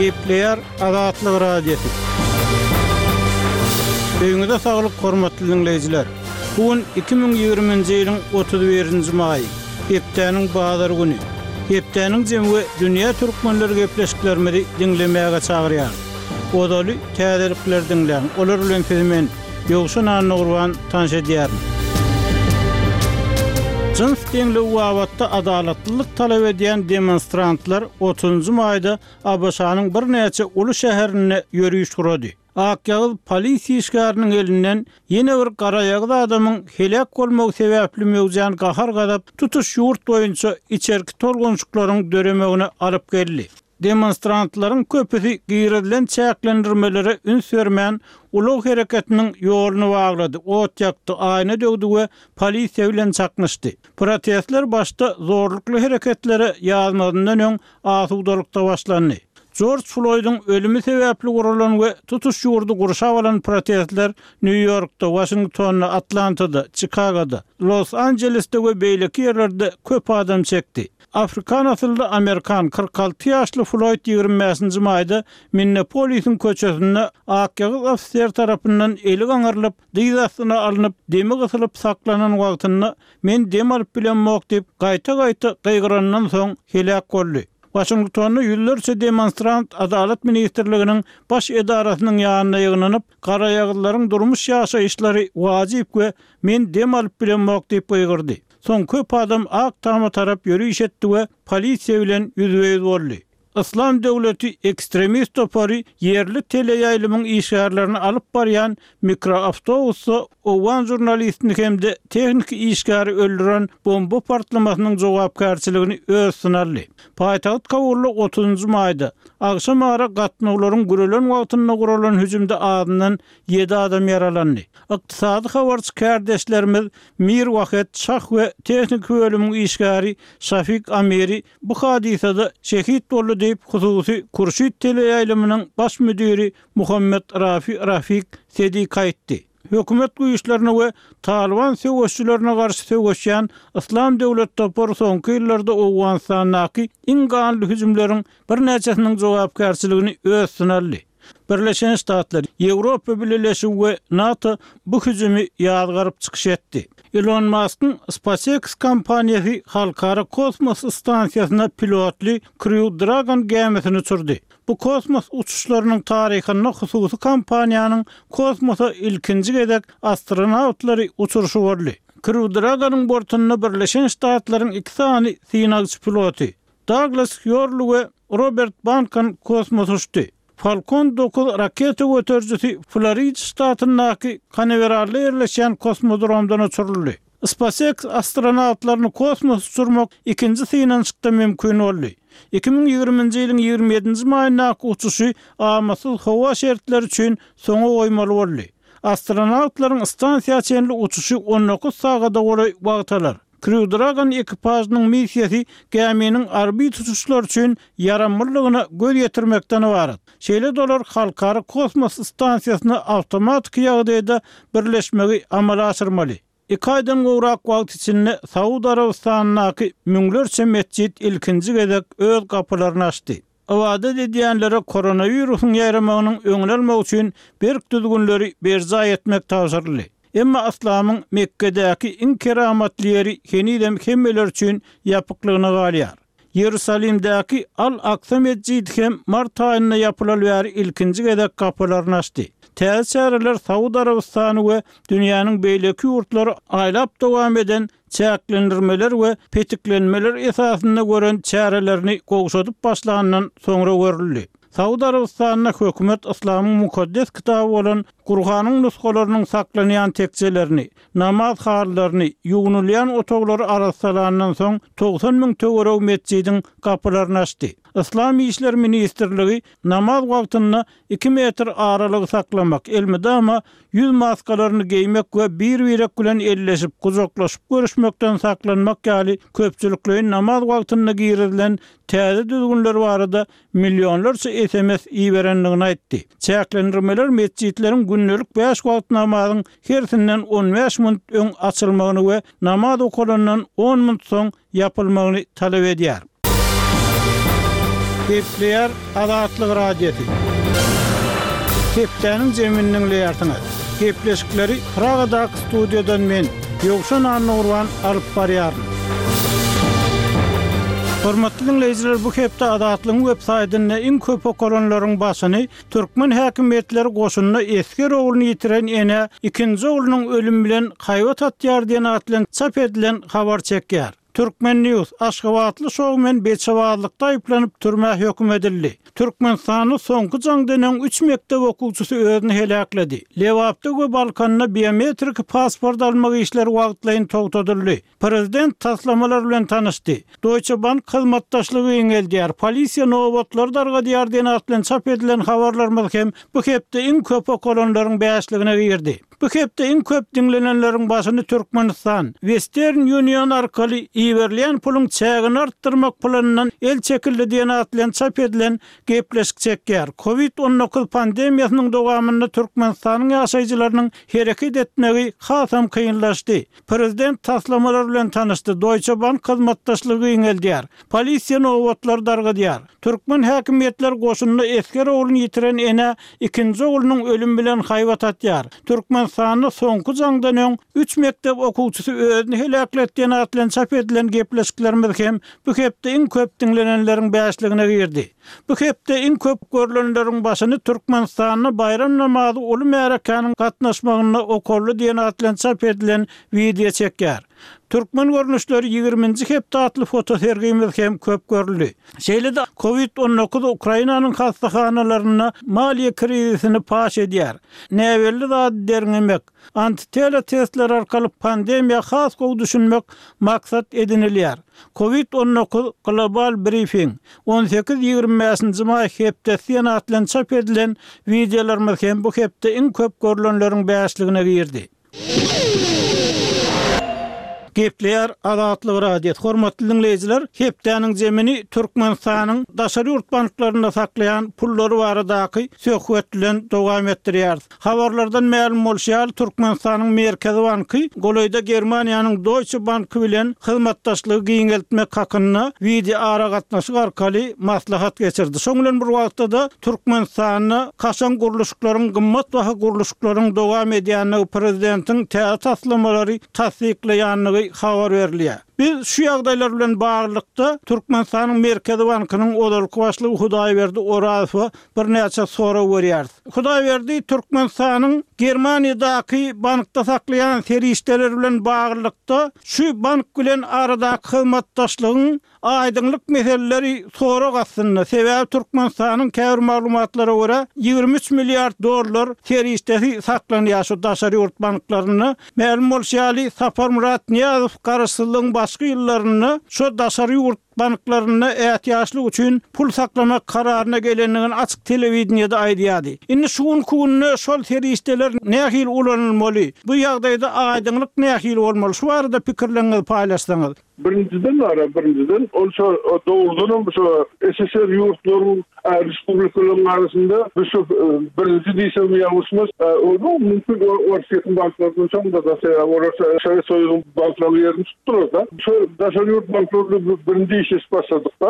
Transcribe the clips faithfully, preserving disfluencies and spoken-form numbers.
Gepleýär Azatlyk Radiosy. Öýüňize saglyk hormatly diňleýjiler. Bu gün iki müň ýigriminji ýylyň otuz birinji maýy, hepdäniň bazar güni. Hepdäniň jemi we dünýä türkmenleri gepleşiklerimizi diňlemäge çagyrýar. Ozaly täzelikleri diňläň. Olar bilen sizi men Ýowşan Annagurban tanyş edýärin. Jyns deňligi babatda adalatlylyk talap edýän demonstrantlar otuzynjy maýda A B Ş-nyň birnäçe uly şäherinde ýöriş gurady. Akýagyz polisiýa işgäriniň elinden ýene bir garaýagyz adamyň heläk bolmagy sebäpli möwjän gahar-gazap tutuş ýurt boýunça içerki tolgunşyklaryň döremegine alyp geldi. Demonstrantlaryň köpüsi girizilen çäklendirmelere üns bermän, ulag hereketiniň ýoluny baglady, ot ýakdy, aýna döwdi we polisiýa bilen çaknyşdy. Protestler başda zorlukly hereketlere ýazmazyndan öň asudalykda başlandy. Jorj Floýdyň ölümi sebäpli guralan we tutuş ýurdy gurşap alan protestler Nýu-Ýorkda, Waşingtonda, Atlantada, Çikagoda, Los Anjelesde we beýleki ýerlerde köp adam çekdi. Afrikan asylly Amerikan kyrk alty ýaşly Floyd ýigrimi bäşinji maýda Minneapolisiň köçesinde akýagyz ofiser tarapyndan eli gaňyrlyp, dyz astyna alnyp, demi gysylyp saklanan wagtynda men dem alyp bilemok diýip gaýta-gaýta gygyrandan soň heläk boldy. Waşingtonda ýüzlerçe demonstrant Adalat ministrliginiň baş edarasynyň ýanyna ýygnanyp, garaýagyzlaryň durmuş ýaşaýyşlary wajyp we men dem alyp bilemok diýip gygyrdy. Soň köp adam Ak Tama tarap ýöriş etdi we polisiýa bilen ýüzbe-ýüz boldy. Yslam döwleti ekstremist topary ýerli teleýaýlymyň işgärlerini alyp barýan mikroawtobusda owgan žurnalistini hem-de tehniki işgäri öldüren bomba partlamasynyň jogapkärçiligini öz üstüne aldy. Paýtagt Kabulda otuzynjy maýda agşam ara gatnawlaryň gürelen wagtynda guralan hüjümde azyndan ýedi adam ýaralandy. Ykdysady habarçy kärdeşlerimiz Mir Wahed Şah we tehniki bölümiň işgäri Şafik Amiri bu hadysada şehit boldy diýip, hususy Kurşid teleýaýlymynyň baş müdiri Muhammed Rafi Rafik Sedik aýtdy. Hökümet güýçlerine we Talyban söweşçilerine garşy söweşýän Yslam döwlet topary soňky ýyllarda Owganystandaky iň ganly hüjümleriň birnäçesiniň jogapkärçiligini öz üstüne aldy. Birleşen Ştatlar, Ýewropa Bileleşigi we NATO bu hüjümi ýazgaryp çykyş etdi. Elon Muskyň SpaceX kompaniýasy Halkara kosmos stansiýasyna pilotly Crew Dragon gämisini uçurdy. Bu kosmos uçuşlarynyň taryhynda hususy kompaniýanyň kosmosa ilkinji gezek astronawtlary uçurşy boldy. Crew Dragonyň bortunda Birleşen Ştatlaryň iki sany synagçy piloty Douglas Hurley we Robert Bankan kosmos uçdy. Falcon dokuz raketa göterijisi Florida ştatyndaky Kanaweralda ýerleşýän kosmodromdan uçuryldy. SpaceX astronawtlaryny kosmos uçurmak ikinji synanyşykda mümkin boldy. Iki müň ýigriminji ýylyň ýigrimi ýedinji maýyndaky uçuşy amatsyz howa şertleri üçin soňa goýmaly boldy. Astronawtlaryň stansiýa çenli uçuşy on dokuz sagada golaý wagt alar. Crew Dragon ekipažynyň missiýasy gäminiň orbit uçuşlary üçin ýaramlylygyna göz ýetirmekden ybarat. Şeýle-de olar Halkara kosmos stansiýasyna awtomatiki ýagdaýda birleşmegi amala aşyrmaly. Iki aýdan gowrak wagt içinde Saud Arabystanyndaky müňlerçe metjit ilkinji gezek öz gapylaryny açdy. Ybadat edýänlere koronawirusyň ýaýramagynyň öňüni almak üçin berk düzgünleri berjaý etmek tabşyryldy. Emma yslamyň Mekgedäki iň keramatly ýeri henizem hemmeler üçin ýapyklygyna galýar. Ýerusalimdäki Al-Aksa metjidi hem mart aýynda ýapylaly bäri ilkinji gezek gapylaryny açdy. Täze çäreler Saud Arabystany we dünýäniň beýleki ýurtlary aýlap dowam eden çäklendirmeler we petiklenmeler esasynda gören çärelerini gowşadyp başlandan soňra görüldi. Saud Arabystanynda hökümet yslamyň mukaddes kitaby bolan Kurhanyň nusgalarynyň saklanýan tekjelerini, namaz halylaryny, ýuwnulýan otaglary arassalandan soň togsan müň töweregi metjidiň gapylaryny açdy. Yslam işleri ministrligi namaz wagtynda iki metr aralygy saklamak, elmydama ýüz maskalaryny geýmek we bir-birek bilen elleşip, gujaklaşyp görüşmekden saklanmak ýaly köpçülikleýin namaz wagtynda girizilen täze düzgünler barada millionlarça S M S iberendigini aýtdy. Çäklendirmeler metjitleriň gündelik bäş wagt namazyň hersinden on bäş minut öň açylmagyny we namaz okalandan on minut soň ýapylmagyny talap edýär. Gepleýär Azatlyk Radiosy. Hepdäniň jemini diňleýärsiňiz. Gepleşikleri Pragadaky studiýadan men, Ýowşan Annagurban alyp barýaryn. Hormatly dinleýjiler, bu hepde Azatlygyň web saýtynda iň köp okalanlaryň başyny türkmen häkimiýetleri goşunyna esger ogluny ýitiren ene ikinji oglunyň ölümi bilen haýbat atýar diýen at bilen çap edilen habar çekýär. Turkmen News Aşgabatly şowmen beçebazlykda aýyplanyp türmä höküm edildi. Türkmenistanda soňky jaňdan öň üç mekdep okuwçysy özüni heläkledi. Lebapda we Balkanda biometrik pasport almak işleri wagtlaýyn togtadyldy. Prezident taslamalar bilen tanyşdy. Deutsche Bank hyzmatdaşlygy giňeldýär. Polisiýa nobatlar dargadýar diýen at bilen çap edilen habarlarymyz hem bu hepde iň köp okalanlaryň bäşligine girdi. Bu hepde iň köp diňlenenleriň başyny Türkmenistan Western Union arkaly iberilýän puluň çägini artdyrmak planyndan el çekildi diýen at bilen çap edilen gepleşik çekýär. Covid on dokuz pandemiýasynyň dowamynda Türkmenistanyň ýaşaýjylarynyň hereket etmegi hasam kynlaşdy. Prezident taslamalar bilen tanyşdy. Deutsche Bank hyzmatdaşlygy giňeldýär. Polisiýa nobatlar dargadýar. Türkmen häkimiýetler goşunyna esger ogluny ýitiren ene ikinji oglunyň ölümi bilen haýbat atýar. Türkmenistanda soňky jaňdan öň üç mekdep okuwçysy özüni heläkledi diýen at bilen çap edilen gepleşiklerimiz hem bu hepde iň köp diňlenenleriň bäşligine girdi. Bu hepde iň köp görülenleriň başyny Türkmenistanda bayram namazy uly märekaniň gatnaşmagynda okully diýen at bilen çap edilen wideo çekýär. Türkmen görnüşleri ýigriminji hepde atly fotosergimiz hem köp görüldi. Şeýle-de Covid on dokuz Ukrainanyň hastahanalarynda maliýe krizisini paş edýär. Näbelli zat derňemek, antitela testler arkaly pandemiýa has gowy düşünmek maksat edinilýär. Covid on dokuz global briefing on sekiz ýigrimi bäşinji maý hepdesi diýen at bilen çap edilen wideolarymyz hem bu hepde iň köp görülenleriň bäşligine girdi. Gepleýär Azatlyk Radiosy. Hormatly dinleýjiler, hepdäniň jemini Türkmenistanyň daşary ýurt banklarynda saklaýan pullary baradaky söhbet bilen dowam etdirýäris. Habarlardan mälim bolşy ýaly, Türkmenistanyň Merkezi Banky golaýda Germaniýanyň Deutsche Banky bilen hyzmatdaşlygy giňeltmek hakynda wideo aragatnaşyk arkaly maslahat geçirdi. Şoň bilen bir wagtda-da Türkmenistanda kaşaň gurluşyklaryň, gymmat baha gurluşyklaryň dowam edýänligi prezidentiň täze taslamalary tassyklaýanlygy habar berilýär. Biz şu ýagdaýlar bilen baglylykda Türkmenistanyň Merkezi Bankynyň ozalky başlygy Hudaýberdi Orazowa birnäçe sorag berýäris. Hudaýberdi, Türkmenistanyň Germaniýadaky bankda saklaýan serişdeleri bilen baglylykda şu bank bilen aradaky hyzmatdaşlygyň aýdyňlyk meseleleri sorag astynda. Sebäbi Türkmenistanyň käbir maglumatlara görä ýigrimi üç milliard dollar serişdesi saklanýar şu daşary ýurt banklarynda. Mälim bolşy ýaly, Saparmyrat Nyýazow garaşsyzlygyň başky ýyllarynda şu daşary ýurt banklarynda ätiýaçlyk üçin pul saklamak kararyna gelendigini açyk telewideniýede aýdýardy. Indi şu günki günde şol serişdeler nähili ulanylmaly? Bu ýagdaýda aýdyňlyk nähili bolmaly? Şu barada pikirleriňizi paýlaşsaňyz. Birinciden ara, birinciden ol şu doğrudan şu S S R ýurtlaryň, e, respublikalaryň arasynda bu şu, e, birinji diýsem ýalňyşmaz, e, ol mümkin Orsýetiň banklaryndan soň da da olar Sowet Soýuzyň banklarynyň ýerini tutdular da. Şu daşary ýurt banklaryny birinji işe başladyk da,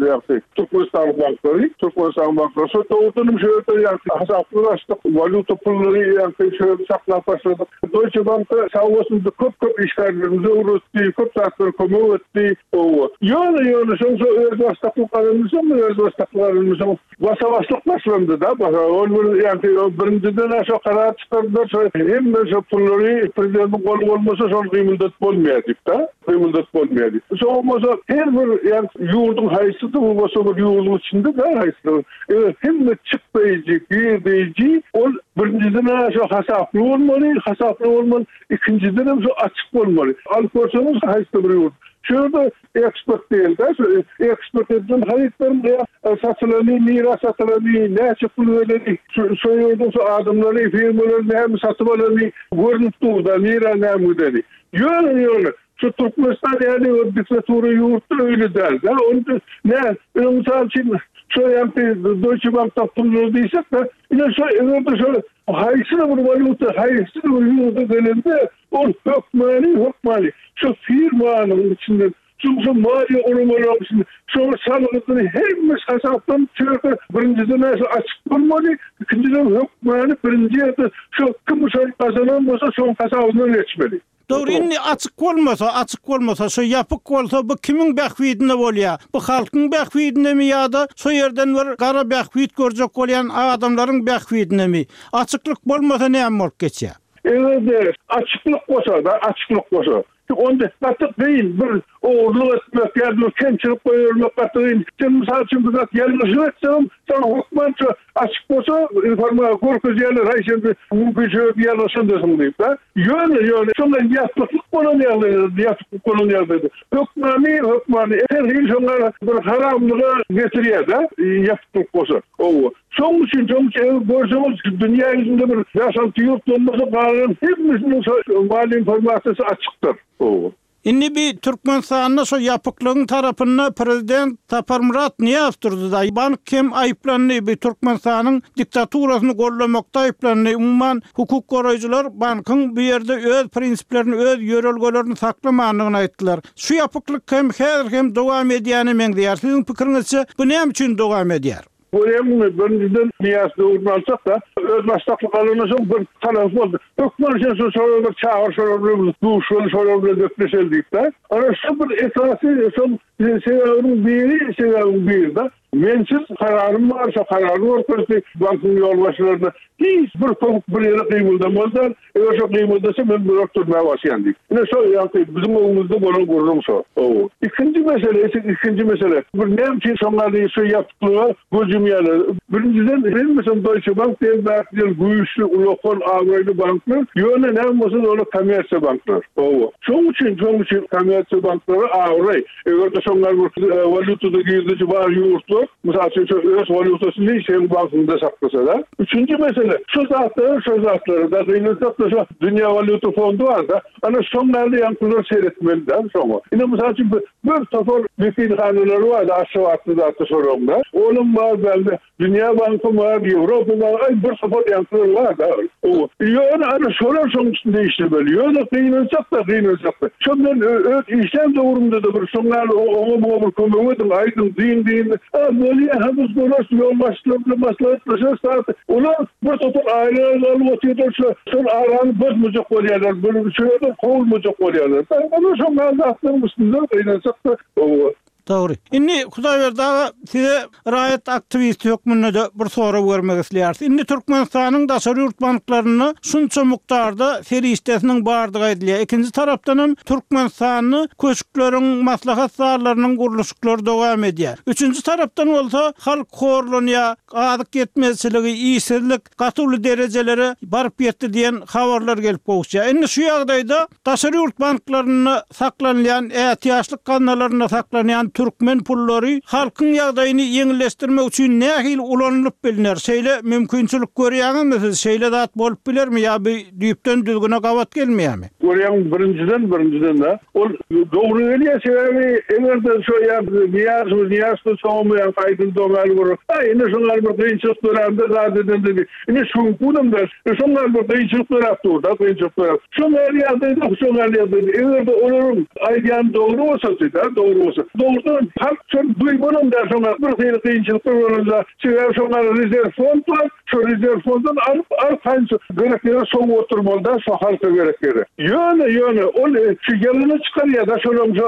ýagny Türkmenistan banklary, Türkmenistan banklary şu doğrudan şu ýerde ýagny hasaplaşdyk, walýuta pullary ýagny şu ýerde saklap başladyk. Deutsche Bankda sag bolsun köp-köp işgärlerimizi öwretdi, köp zatlar kömek etdi. Owa. Ýöne, ýöne, şoň şo öz başlyklyk alynmyşam, öz başlyklyk alynmyşam. Başa-başlyk başlandy da, başa. Ol bir, ýagny, o birinjiden aşa karar çykardylar, şo hemme şo pullary prezidentiň goly bolmasa şol gymyldatyp bolmaýar diýip da, gymyldatyp bolmaýar diýip. Şo bolmasa her bir, ýagny, ýurduň haýsy bolsa bir ýurduň içinde de haýsy, e, hemme çykdaýjy, girdeýji, ol birinjiden aşa hasaply bolmaly, hasaply bolmaly, ikinjiden hem şo açyk bolmaly. Alyp görseňiz haýsy bir ýurt. Şurada eksport değil de, şu eksport edilen harytlaryň ýa satylany, nira satylany, näçe pul berleni, şu, şu ýurduň şu adamlary, firmalary näme satyp alany görünip dur da, nira näme gideni. Ýöne, ýöne, şu Türkmenistan ýaly bir diktatura ýurtda öyle däl de, onu ne, öň mysal üçin şu ýagny Deutsche Bankda pul diýsek de, ine şu eger-de şu haýsy bir walýuta, haýsy bir ýurda gelende, ol hökmany, hökmany şu firmanyň içinden Ýurduň şu maliýe guramalaryň şo salgydyny hemme hasapdan çörde birinjiden şu açyk bolmaly, ikinjiden hökmany birinji ýerde şu kim şol gazanan bolsa şoň hasabyndan geçmeli. Dogry, indi açyk bolmasa, açyk bolmasa, şu ýapyk bolsa bu kimiň bähbidine bolýar? Bu halkyň bähbidinemi ýa-da şu ýerden bir gara bähbit görjek bolýan adamlaryň bähbidinemi? Açyklyk bolmasa näme bolup geçýär? Eger-de açyklyk bolsa da, açyklyk bolsa, onda gaty kyn bir ogurlyk etmek ýa bir kemçilik goýbermek gaty kyn. Sen mysal üçin bir zat ýalňyşlyk etseň, sen hökman şu açyk bolsa informasiýa görkezýärler, haý sen bir mümkinçilik ýalňyşandyrsyň diýip, da. Ýöne, ýöne, şoňa ýapyklyk bolan ýagdaýda, ýapyklyk bolan ýagdaýda hökmany, hökmany her hil şoňa bir haramlyga getirýär-de, ýapyklyk bolsa. Owa. Şoň üçin, şoň üçin eger görseňiz dünýä ýüzünde bir bäş-alty ýurt bolmasa galan hemmesiniň şo maliýe informasiýasy açykdyr. Owa. Indi bir Türkmenistanda şo ýapyklygyň tarapynda prezident Saparmyrat Nyýazow durdy da. Bank hem aýyplandy, bir Türkmenistanyň diktaturasyny gollamakda aýyplandy. Umuman hukuk goraýjylar bankyň bu ýerde öz prinsiplerini, öz ýörelgelerini saklamandygyny aýtdylar. Şu ýapyklyk hem häzir hem dowam edýäne meňzeýär. Siziň pikiriňizçe bu näme üçin dowam edýär? Görýäňmi, birinjiden Nyýazow döwrüni alsak da, öz baştaklyk alandan soň bir talap boldy. Hökman sen şu şolar bir çagyr, şolar bilen duşuşaly, şolar bilen gepleşeli diýip de. Ana şu bir esasy şol sebäbiniň biri, sebäbiniň biri de mensiz kararym bar, şo karary görkezdi bankyň ýolbaşçylaryna. Hiç bir köpük bir ýere gymyldamazlar. Eger şo gymyldasa men bular türmä başlaýan diýip. Ine şo ýaňky biziň öňümizde bolan gürrüň şo. Ow. Ikinji mesele, ikinji mesele. Bir näme üçin şoňa şu ýapyklyga göz ýumýarlar? Birinjiden hemmesi Deutsche Bank diýen banklar güýçli, ulakan, abraýly banklar. Ýöne näme bolsa olar kommersiýa banklar. Ow. Şoň üçin, şoň üçin kommersiýa banklary abraý. Eger-de şoňlar bir walýutada girdeji bar ýurtlar, mysal üçin şu öz walýutasyny seň bankyňda saklasa da. Üçünji mesele, şu zatlar, şu zatlary da gynansak da şu Dünýä Walýuta Fondy bar da, ana şoňlarda ýaňkylar seyretmeli da şoňa. Ine mysal üçin bir, bir topar wekilhanalary bar da Aşgabatda zatda şoraňda. Onuň bar bende Dünýä Banky bar, Ýewropa bar, ay bir topar ýaňkylar bar da. O ýöne ana şolar şoň üstünde işlemeli. Ýöne gynansak da, gynansak da. Şondan öz işlän döwrümde de bir şoňlar oňa muňa bir kömek ediň, aýdyň, diýin, diýin. Ha, bolýar, ha biz görüş, ýolbaşçylar bilen maslahatlaşarys, saat. Olar bir topar aýlyk alyp otyrlar, şu şol arany bozmajak bolýarlar, bir şeýle kowulmajak bolýarlar. Ana şoňlar zatlaryň üstünde gynansak da, o Dogry. Indi Hudaýberdi aga size raýat aktiwisti hökmünde de bir sorag bermek isleýäris. Indi Türkmenistanyň daşary ýurt banklarynda şunça mukdarda serişdesiniň bardygy aýdylýar. Ikinji tarapdan hem Türkmenistanda köşkleriň, maslahat zallarynyň gurluşyklary dowam edýär. Üçünji tarapdan bolsa halk horlanýar, azyk ýetmezçiligi, işsizlik gaty uly derejelere baryp ýetdi diýen habarlar gelip gowuşýar. Indi şu ýagdaýda daşary ýurt banklarynda saklanylýan ätiýaçlyk gaznalarynda saklanýan türkmen pullary halkyň ýagdaýyny ýeňilleşdirmek üçin nähili ulanylyp bilner? Şeýle mümkinçilik görýäňizmi siz? Şeýle zat bolup bilermi ýa bir düýpden düzgüne gabat gelmeýärmi? Görýäň birinjiden, birinjiden de ol dogry gelýär sebäbi eger-de şo ýa Nyýazow, Nyýazow soňmy ýa aýdyn doňal bir, aý ine şoňa bir kynçylyk dörände zat edende bir, ine şuňkunam da, şoňa bir kynçylyk döräp dur da, kynçylyk döräp. Şoňa ýagdaýda, şoňa ýagdaýda eger-de olaryň aýdýan dogry bolsa da, dogry bolsa. Dogrudan halk şol duýmanam da şoňa bir hili kynçylyklar bolanda, sebäbi şoňa rezerw fond bar, şo rezerw fonddan alyp arkaýyn gerek ýere sowup oturmaly da, şo halka gerek ýere. Ýöne, ýöne ol şu ýalana çykarýar da şolaryň şo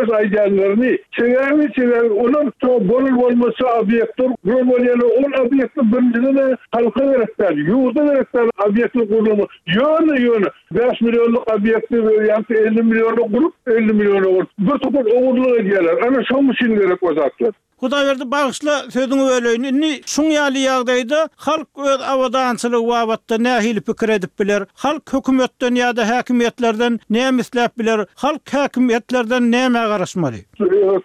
öz aýdýanlaryny. Sebäbi, sebäbi olar şo bolur bolmasa obýektler gurulmaly, ol obýektler birinjiden de halka gerek däl, ýurda gerek däl obýektler gurulmaly. Ýöne, ýöne beş milyonlyk obýekti ýa-da elli milyonlyk gurup, elli milyona gurup, bir topar ogurlyk edýärler. Ana şoň üçin gerek o zatlar. Hudaýberdi bagyşla sözüňi böleýin. Indi şuň ýaly ýagdaýda halk öz abadançylygy babatda nähili pikir edip biler? Halk hökümetden ýa-da häkimiýetlerden näme isläp biler? Halk häkimiýetlerden näme garaşmaly?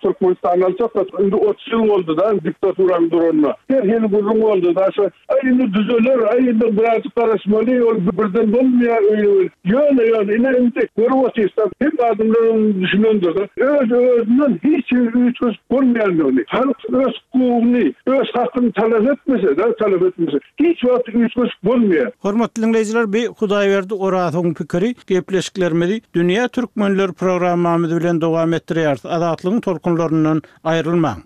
Türkmenistandan alsak da indi otuz ýyl boldy da diktaturanyň duranyna. Her hili gürrüň boldy da şu aý indi düzeler, aý indi birazcık garaşmaly, ol birden bolmaýar öýle. Ýöne, ýöne ine indi görüp otyrsak, hep adamlaryň düşünendir. Öz özünden hiç bir üýtgeşik bolmaýandygyny, halk Halk öz hukugyny, öz hakyny talap etmese, da talap etmese, hiç wagt üýtgeşik bolmaýar. Hormatly dinleýjiler, bi Hudaýberdi Orazowyň pikiri gepleşiklerimizi Dünýä Türkmenler programmamyz bilen dowam etdirýäris. Azatlygyň tolkunlaryndan aýrylmaň.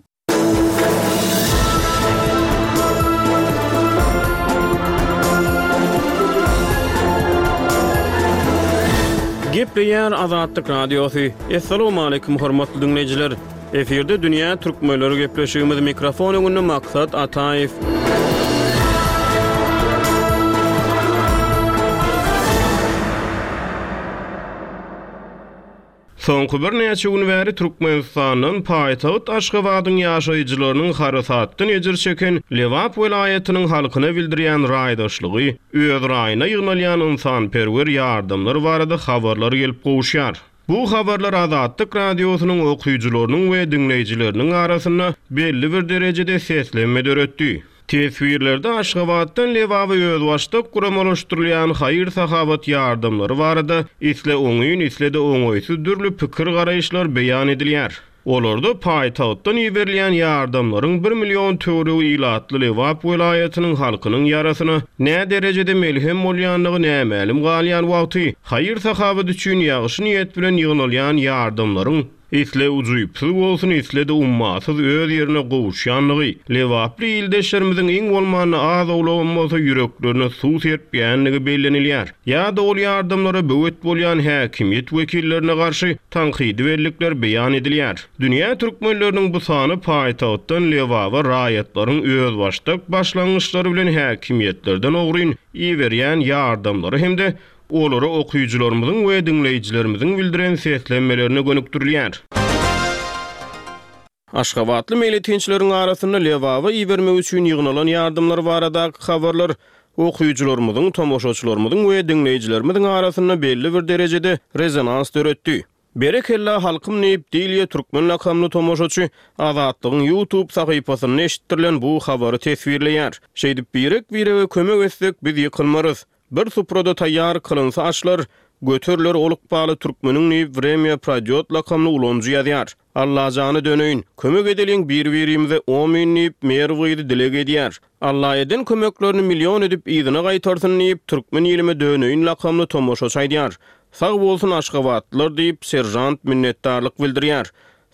Gepleýär Azatlyk Radiosy. Essalamu aleýkum hormatly dinleýjiler. Efirde Dünýä Türkmenleri gepleşigimiz mikrofon öňünde Maksat Ataýew. Soňky birnäçe gün bäri Türkmenistandan paýtagt Aşgabadyň ýaşaýjylarynyň harasatdan ejir çeken Lebap welaýatynyň halkyna bildirýän raýdaşlygy, öz raýyna ýygnalýan ynsanperwer ýardamlar barada habarlar gelip gowuşýar. Bu habarlar Azatlyk Radiosynyň okyjylarynyň we diňleýjileriniň arasynda belli bir derejede seslenme döretdi. Teswirlerde Aşgabatdan Lebaba özbaşdak guramalaşdyrylýan haýyr-sahabat ýardamlary barada isle oňyn, isle-de oňaýsyz dürli pikir garaýyşlar beýan edilýär. Olarda paýtagtdan iberilýän ýardamlaryň bir million töweregi ilatly Lebap welaýatynyň halkynyň ýarasyna nä derejede melhem bolýandygy nämälim galýan wagty haýyr-sahabat üçin ýagşy niýet bilen ýygnalýan ýardamlaryň isle ujypsyz bolsun, isle-de ummasyz öz ýerine gowuşýandygy, Lebaply ildeşlerimiziň iň bolmanda az owlagam bolsa ýüreklerine suw serpýändigi bellenilýär. Ýa-da ol ýardamlara böwet bolýan häkimiýet wekillerine garşy tankydy bellikler beýan edilýär. Dünýä türkmenleriniň bu sany paýtagtdan Lebaba raýatlaryň özbaşdak başlangyçlary bilen häkimiýetlerden ogryn iberýän ýardamlary hem-de olara okyjylarymyzyň we diňleýjilerimiziň bildiren seslenmelerine gönükdirilýär. Aşgabatly meýletinçileriň arasynda Lebaba ibermek üçin ýygnalan ýardamlar baradaky habarlar okyjylarymyzyň, tomaşaçylarymyzyň we diňleýjilerimiziň arasynda belli bir derejede rezonans döretdi. Berekella halkym diýip Dilýe Türkmen lakamly tomaşaçy Azatlygyň YouTube sahypasynda eşitdirilen bu habary teswirleýär. Şeýdip birek-birege kömek etsek biz ýykylmarys. Bir suprada taýýar kylynsa aşlar, göteriler olup baly Türkmeniň diýip Vremya Pradýot lakamly ulanyjy ýazýar. Allajany döneýin, kömek edeliň bir-birimize omin diýip Merw gyzy dileg edýär. Alla eden kömeklerini million edip yzyna gaýtarsyn diýip Türkmen ilime döneýin lakamly tomaşaçy aýdýar. Sag bolsun Aşgabatlylar diýip serjant minnetdarlyk bildirýär.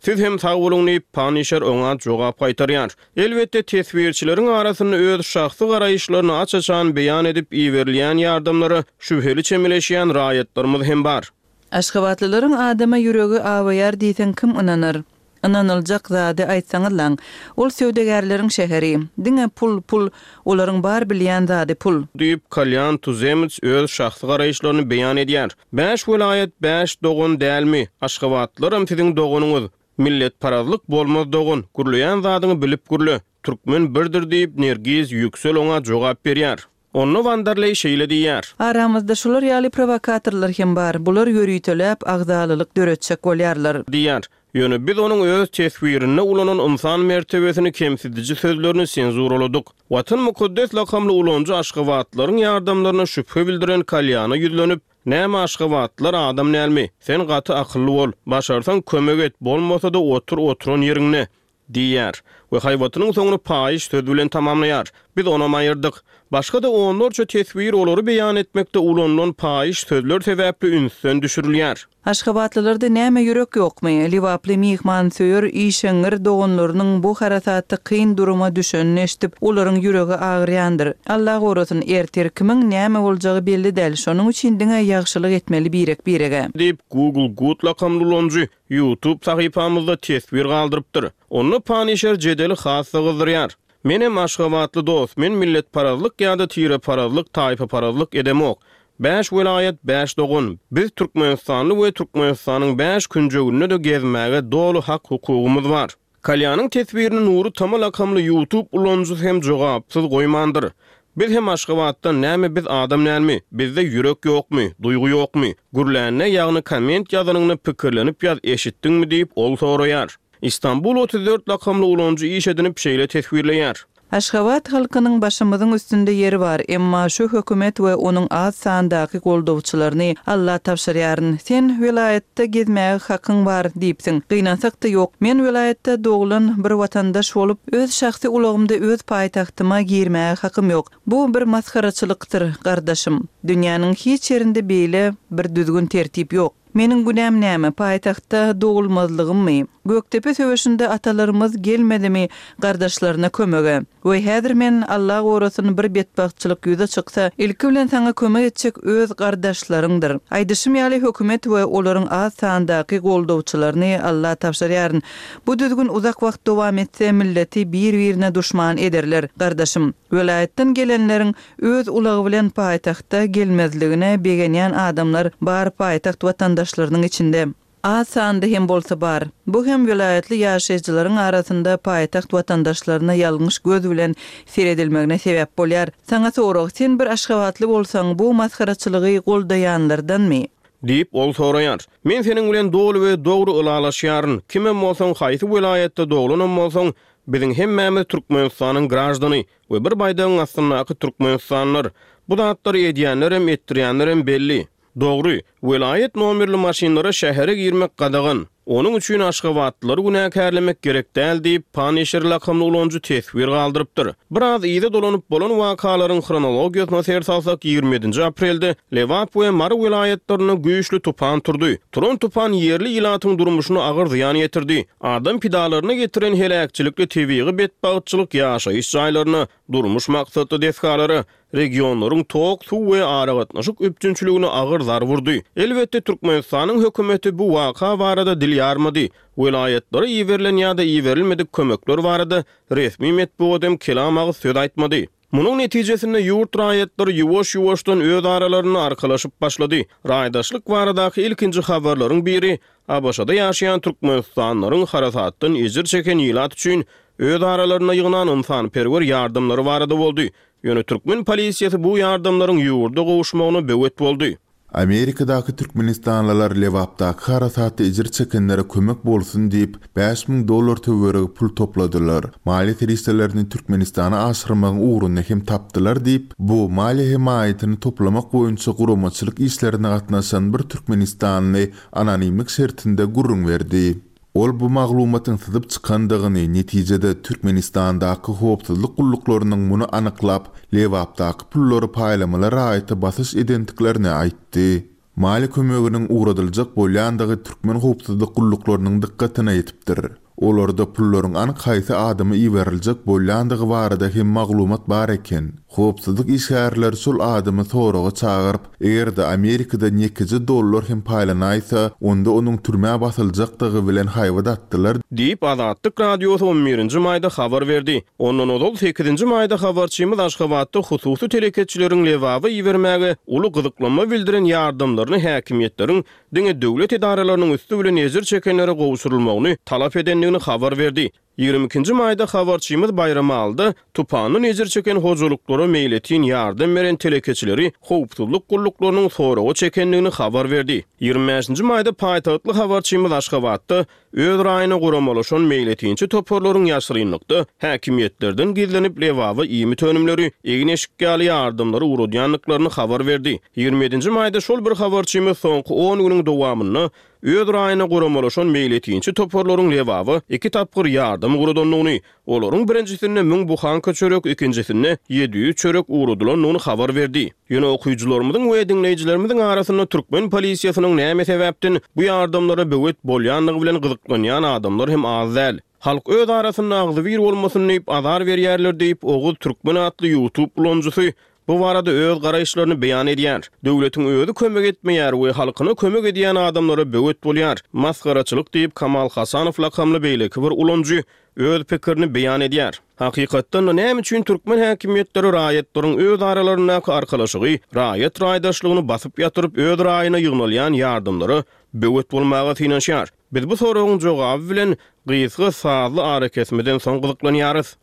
Siz hem sag boluň diýip Punisher oňa jogap gaýtarýar. Elbetde teswirçileriň arasynda öz şahsy garaýyşlaryny aç-açan beýan edip iberilýän ýardamlara şübheli çemeleşýän raýatlarymyz hem bar. Aşgabatlylaryň adama ýüregi awaýar diýseň kim ynanar? Ynanyljak zady aýtsaňyzlaň. Ol söwdagärleriň şäheri. Diňe pul, pul, olaryň bar bilýän zady pul. Diýip Kalyan Tuzemets öz şahsy garaýyşlaryny beýan edýär. Bäş welaýat bäş dogan dälmi? Aşgabatlylaram siziň doganyňyz. Milletparazlyk bolmaz dogan. Gürleýän zadyňy bilip gürle. Türkmen birdir diýip Nergiz Yüksel oňa jogap berýär. Onda Wanderley şeýle diýýär. Aramyzda şular ýaly provokatorlar hem bar. Bular ýörüteläp agzalylyk döretjek bolýarlar. Diýýär. Ýöne biz onuň öz teswirinde ulanan insan mertebesini kemsidiji sözlerini senzuraladyk. Watan mukaddes lakamly ulanyjy Aşgabatlaryň ýardamlaryna şübhe bildiren Kalýana ýüzlenip, Näme Aşgabatlar adam dälmi? Sen gaty akylly bol. Başarsaň kömek et, bolmasa-da otur oturan ýeriňde diýýär we haýbatynyň soňuny paýyş söz bilen tamamlaýar. Biz ona aýyrdyk. Başga-da onlarça teswir olary beýan etmekde ulanylan paýyş sözler sebäpli ünsden düşürilýär. Aşgabatlylarda näme ýürek ýokmy? Lebaply myhmansöýer işeňňir doganlarynyň bu harasatda kyn duruma düşenini eşidip, olaryň ýüregi agyrýandyr. Allah gorasyn, ertir kimiň näme boljagy belli däl. Şonuň üçin diňe ýagşylyk etmeli birek-birege. Diýip Google Good lakamly ulanyjy YouTube sahypamyzda teswir galdyrypdyr. Onda Punisher jedeli hassa gyzdyrýar. Menem Aşgabatly dost, men milletparazlyk ýa-da tireparazlyk, taýpaparazlyk edemok. Bäş welaýat, bäş dogan. Biz Türkmenistanly we Türkmenistanyň bäş künjeginde-de gezmäge doly hak hukugymyz bar. Kalýanyň teswirini Nury Tama lakamly YouTube ulanyjysy hem jogapsyz goýmandyr. Biz hem Aşgabatdan näme biz adam dälmi? Bizde ýürek ýokmy, duýgy ýokmy? Gürlände ýagny komment ýazanyňda pikirlenip ýaz eşitdiňmi diýip ol soraýar. İstanbul otuz dört lakamly ulanyjy iş edinip şeýle teswirleýär. Aşgabat halkynyň başymyzyň üstünde ýeri bar, emma şu hökümet we onuň az sandaky goldawçylaryny Alla tabşyrýaryn. Sen welaýatda gezmäge hakyň bar diýipsiň. Gynansak-da ýok. Men welaýatda doglan bir watandaş bolup, öz şahsy ulagymda öz paýtagtyma girmäge hakym ýok. Bu bir masgaraçylykdyr, gardaşym. Dünýäniň hiç ýerinde beýle bir düzgün-tertip ýok. Meniň günäm näme, paýtagtda dogulmazlygymmy? Gökdepe söweşinde atalarymyz gelmedimi gardaşlaryna kömege? We häzir men Alla gorasyn bir betbagtçylyk ýüze çyksa, ilki bilen saňa kömek etjek öz gardaşlaryňdyr. Aýdyşym ýaly hökümet we olaryň az sandaky goldawçylaryny Alla tabşyrýaryn. Bu düzgün uzak wagt dowam etse, milleti bir-birine duşman ederler, gardaşym. Welaýatdan gelenleriň öz ulagy bilen paýtagta gelmezligine begenýän adamlar bar paýtagt watandaşlarynyň içinde. Az sanda hem bolsa bar. Bu hem welaýatly ýaşaýjylaryň arasynda paýtagt watandaşlaryna ýalňyş göz bilen seredilmegine sebäp bolýar. Saňa sorag, sen bir aşgabatly bolsaň, bu masgaraçylygy goldaýanlardanmy? Diýip, ol soraýar. Men seniň bilen doly we dogry ylalaşýaryn. Kimem bolsaň, haýsy welaýatda doglanam bolsaň, biziň hemmämiz Türkmenistanyň graždany we bir baýdagyň astyndaky türkmenistanlylar. Bu zatlary edýänlerem, etdirýänlerem belli. Dogry, welaýat nomerli maşynlara şähere girmek gadagan. Onuň üçin aşgabatlylary günäkärlemek gerek däl diýip, Paneşir lakamly ulanyjy teswir galdyrypdyr. Biraz yza dolanyp bolan wakalaryň hronologiýasyna ser salsak, ýigrimi ýedinji aprelde Lebap we Mary welaýatlarynda güýçli tupan turdy. Turan tupan ýerli ilatyň durmuşyna agyr zyýan ýetirdi. Adam pidalaryna getiren heläkçilikli tebigy betbagtçylyk ýaşaýyş jaýlaryna, durmuş maksatly desgalara, regionlaryň tok, suw we aragatnaşyk üpjünçiligine agyr zar vurdy. Elbetde Türkmenistanyň hökümeti bu waka barada dil ýarmady. Welaýatlara iberilen ýa-da iberilmedik kömekler barada resmi metbugat hem kelam agyz söz aýtmady. Munuň netijesinde ýurt raýatlary ýuwaş-ýuwaşdan öz aralarynda arkalaşyp başlady. Raýdaşlyk baradaky ilkinji habarlaryň biri A B Ş-da ýaşaýan Türkmenistanlylaryň harasatdan ejir çeken ilat üçin öz aralarynda ýygnan ynsanperwer ýardamlary barada boldy. Ýöne türkmen polisiýasy bu ýardamlaryň ýurda gowuşmagyna böwet boldy. Amerikadaky türkmenistanlylar Lebapdaky harasatda ejir çekenlere kömek bolsun diýip, bäş müň dollar töweregi pul topladylar. Maliýe serişdelerini Türkmenistana aşyrmagyň ugruny hem tapdylar diýip, bu maliýe hemaýatyny toplamak boýunça guramaçylyk işlerine gatnaşan bir türkmenistanly anonimlik şertinde gürrüň berdi. Ol bu maglumatyň syzyp çykandygyny, netijede Türkmenistandaky howpsuzlyk gulluklarynyň muny anyklap, Lebapdaky pullary paýlamaly raýata basyş edendiklerini aýtdy. Maliýe kömeginiň ugradyljak bolýandygy türkmen howpsuzlyk gulluklarynyň dykgatyna ýetipdir. Olarda pullaryň anyk haýsy adama iberiljek bolýandygy barada hem maglumat bar eken. Howpsuzlyk işgärleri şol adamy soraga çagyryp, eger-de Amerikadan ýekeje dollar hem paýlanaýsa, onda onuň türmä basyljakdygy bilen haýbat atdylar diýip, Azatlyk Radiosy on birinji maýda habar berdi. Ondan ozal sekizinji maýda habarçymyz Aşgabatda hususy telekeçileriň Lebaba ibermäge uly gyzyklanma bildiren ýardamlaryny häkimiýetleriň diňe döwlet edaralarynyň üsti bilen ejir çekenlere gowşurylmagyny talap edendigini habar berdi. Ýigrimi ikinji maýda habarçymyz Baýramalyda tupandan ejir çeken hojalyklara meýletin ýardam beren telekeçileri howpsuzlyk gulluklarynyň soraga çekendigini habar berdi. Ýigrimi bäşinji maýda paýtagtly habarçymyz Aşgabatda öz raýyna guramalaşan meýletinçi toparlaryň ýaşyrynlykda häkimiýetlerden gizlenip Lebaba iýmit önümleri, egin-eşik ýaly ýardamlary ugradýandyklaryny habar berdi. Ýigrimi ýedinji maýda şol bir habarçymyz soňky on günüň dowamynda öz raýyna guramalaşan meýletinçi toparlaryň Lebaba iki tapgyr ýardam ugradandygyny, olaryň birinjisinde müň buhanka çörek, ikinjisinde ýedi ýüz çörek ugradylandygyny habar berdi. Ýöne okyjylarymyzyň we diňleýjilerimiziň arasynda türkmen polisiýasynyň näme sebäpden bu ýardamlara böwet bolýandygy bilen gyzyklanýan adamlar hem az däl. Halk öz arasynda agzybir bolmasyn diýip azar berýärler diýip, Oguz Türkmen atly YouTube ulanyjysy bu barada öz garaýyşlaryny beýan edýär. Döwletiň özi kömek etmeýär we halkyna kömek edýän adamlara böwet bolýar. Masgaraçylyk diýip Kamal Hasanow lakamly beýleki bir ulanyjy öz pikirini beýan edýär. Hakykatdan da näme üçin türkmen häkimiýetleri raýatlaryň öz aralaryndaky arkalaşygy, raýat raýdaşlygyny basyp ýatyryp öz raýyna ýygnalýan ýardamlara böwet bolmaga synanyşýar? Biz bu soragyň jogaby bilen gysga sazly arakesmeden soň gyzyklanýarys.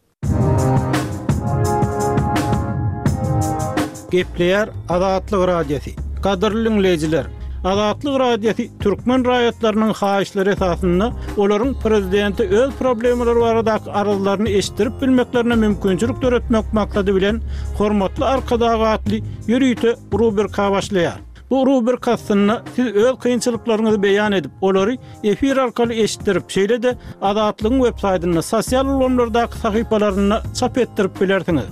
Gepleýär Azatlyk Radiosy. Gadyrly dinleýjiler, Azatlyk Radiosy türkmen raýatlarynyň haýyşlary esasynda olaryň prezidente öz problemalary baradaky arzlaryny eşitdirip bilmeklerine mümkinçilik döretmek maksady bilen Hormatly Arkadag atly ýörite rubrika başlaýar. Bu rubrika astynda siz öz kynçylyklaryňyzy beýan edip, olary efir arkaly eşitdirip, şeýle-de Azatlygyň web saýtynda, sosial ulgamlardaky sahypalarynda çap etdirip bilersiňiz.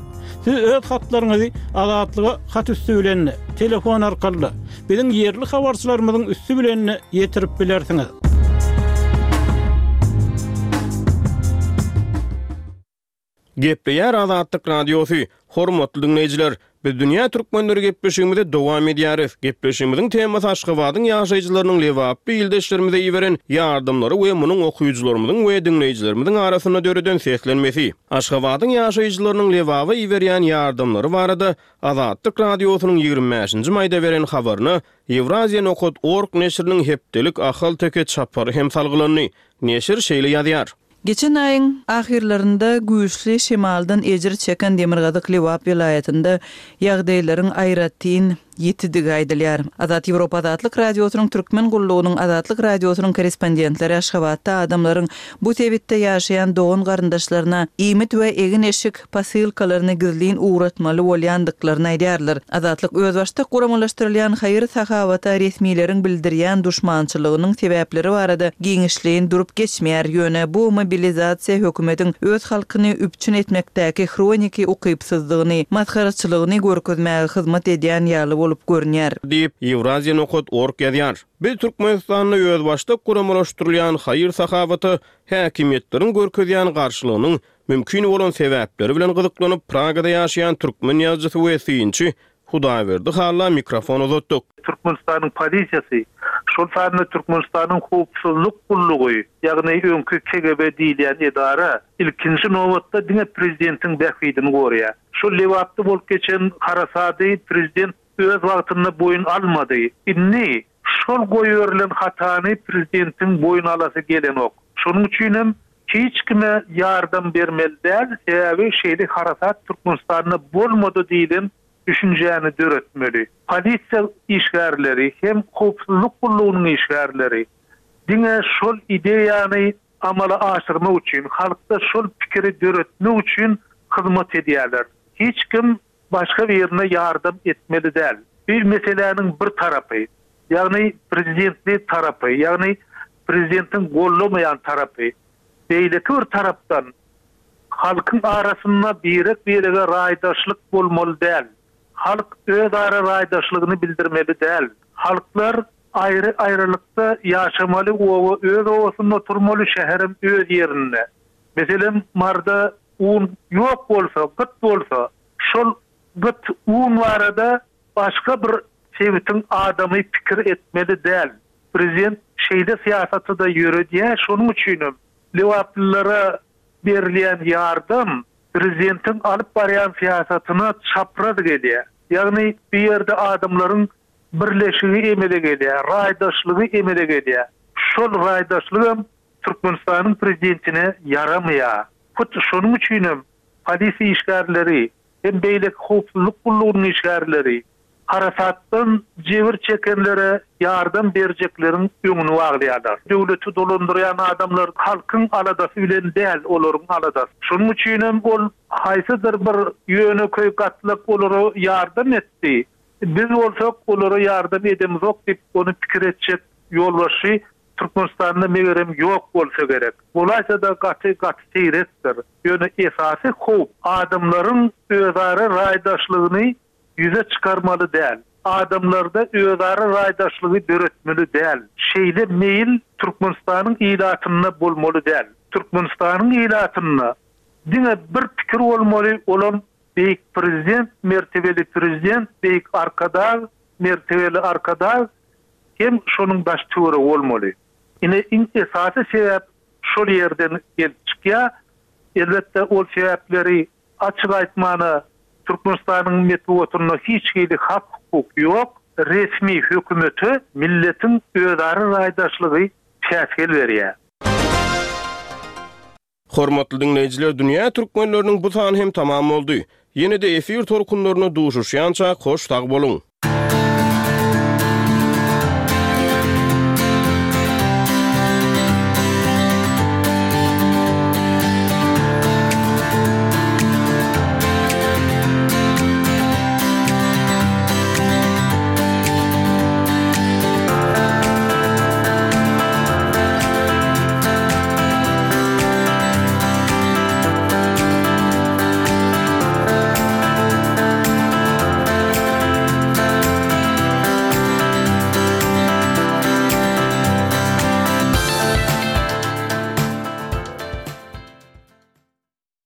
Siz öz hatlaryňyzy Azatlyga hat üsti bilen, telefon arkaly, biziň ýerli habarçylarymyzyň üsti bilen ýetirip bilersiňiz. Gepleýär Azatlyk Radiosy. Hormatly diňleýjiler, biz Dünýä Türkmenleri gepleşigimizi dowam edýäris. Gepleşigimiziň temasy Aşgabadyň ýaşaýjylarynyň Lebaply ildeşlerimize iberen ýardamlary we munuň okyjylarymyzyň we diňleýjilerimiziň arasynda döreden seslenmesi. Aşgabadyň ýaşaýjylarynyň Lebaba iberýän ýardamlary barada Azatlyk Radiosynyň ýigrimi bäşinji maýda beren habaryna Ýewraziýa nokat org neşiriniň hepdelik Ahalteke çapary hem salgylandy. Neşir şeýle ýazýar. Geçen aýyň ahyrlarynda güýçli şemaldan ejir çeken Demirgazyk Lebap welaýatynda ýagdaýlaryň aýratyn ýitidigi aýdylýar. Azat Ýewropa Azatlyk Radiosynyň Türkmen gullugynyň Azatlyk Radiosynyň korrespondentleri Aşgabatda adamlaryň bu sebitde ýaşaýan dogan garyndaşlaryna iýmit we egin-eşik posylkalaryny gizlin ugratmaly bolýandyklaryny aýdýarlar. Azatlyk özbaşdak guramalaşdyrylýan haýyr-sahawata resmileriň bildirýän duşmançylygynyň sebäpleri barada giňişleýin durup geçmeýär. Ýöne bu mobilizasiýa hökümetiň öz halkyny üpjün etmekdäki hroniki ukypsyzlygyny, masgaraçylygyny görkezmäge hyzmat edýän ýaly bolup görünýär. Diýip, Ýewraziýa nokat org ýazýar. Biz Türkmenistanda özbaşdak guramalaşdyrylýan haýyr-sahawata häkimiýetleriň görkezýän garşylygynyň mümkin bolan sebäpleri bilen gyzyklanyp, Pragada ýaşaýan türkmen ýazyjysy we synçy Hudaýberdi Halla mikrofon uzatdyk. Türkmenistanyň polisiýasy, şol sanda Türkmenistanyň howpsuzlyk gullugy, ýagny öňki K G B diýilýän edara ilkinji nobatda diňe prezidentiň bähbidini goraýar. Şol Lebapda bolup geçen harasady prezident öz wagtynda boýun almady. Indi şol goýberilen hatany prezidentiň boýun alasy gelenok. Şonuň üçin hem hiç kime ýardam bermeli däl, sebäbi şeýle harasat Türkmenistanda bolmady diýilen düşünjäni döretmeli. Polisiýa işgärleri hem howpsuzlyk gullugynyň işgärleri diňe şol ideýany amala aşyrmak üçin, halkda şol pikiri döretmek üçin hyzmat edýärler. Hiç kim başga birine ýardam etmeli däl. Bir meseläniň bir tarapy, ýagny prezidentli tarapy, ýagny prezidentiň gollamaýan tarapy, beýleki bir tarapdan halkyň arasynda birek-birege raýdaşlyk bolmaly däl. Halk öz ara raýdaşlygyny bildirmeli däl. Halklar aýry aýrylykda ýaşamaly, oba öz obasynda oturmaly, şäherem öz ýerinde. Meselem, Marda un ýok bolsa, gyt bolsa, şol gyt un barada başga bir sebitiň adamy pikir etmeli däl. Prezident şeýle syýasaty da ýöredýär, şonuň üçin hem Lebaplylara berilýän ýardam prezidentiň alyp barýan syýasatyna çapraz gelýär. Ýagny bu ýerde adamlaryň birleşigi emele gelýär, raýdaşlygy emele gelýär. Şol raýdaşlyk hem Türkmenistanyň prezidentine ýaramaýar. Hut şonuň üçin hem polisiýa işgärleri hem beýleki howpsuzlyk gullugynyň işgärleri harasatdan jebir çekenlere ýardam berjekleriň öňüni baglaýarlar. Döwleti dolandyrýan adamlar halkyň aladasy bilen däl, olaryň aladasy. Şonuň üçin hem ol haýsydyr bir ýönekeý gatlak olara ýardam etdi. Biz bolsak olara ýardam edemizok diýip ony pikir etjek ýolbaşçy Türkmenistanda megerem ýok bolsa gerek. Bolaýsa-da gaty gaty seýrekdir. Ýöne esasy howp adamlaryň özara raýdaşlygyny ýüze çykarmaly däl. Adamlarda özara raýdaşlygy döretmeli däl. Şeýle meýil Türkmenistanyň ilatynda bolmaly däl. Türkmenistanyň ilatynda diňe bir pikir bolmaly, olam beýik prezident, mertebeli prezident, beýik Arkadag, mertebeli Arkadag hem şonuň daş töweregi bolmaly. Ine iň esasy sebäp şol ýerden gelip çykýar. Elbetde ol sebäpleri açyk aýtmana Türkmenistanyň metbugatynda hiç hili hak hukuk ýok. Resmi hökümete milletiň özara raýdaşlygy päsgel berýär. Hormatly diňleýjiler, dünýä türkmenleriniň bu sany hem tamam boldy. Ýene-de efir tolkunlaryna duşuşýança hoş sag boluň.